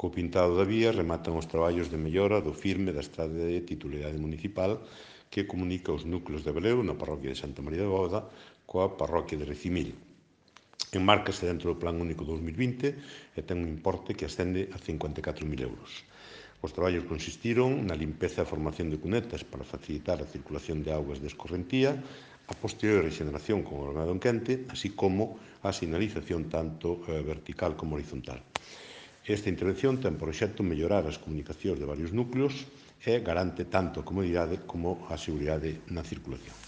Co pintado da vía rematan os traballos de mellora do firme da estrada de titularidade municipal que comunica os núcleos de Abreu na parroquia de Santa María de Bóveda coa parroquia de Recimil. Enmárcase dentro do Plan Único 2020 e ten un importe que ascende a 54.000 euros. Os traballos consistiron na limpeza e formación de cunetas para facilitar a circulación de augas de escorrentía, a posterior regeneración con o armado en quente, así como a sinalización tanto vertical como horizontal. Esta intervención ten por obxecto mellorar as comunicacións de varios núcleos e garante tanto a comodidade como a seguridade na circulación.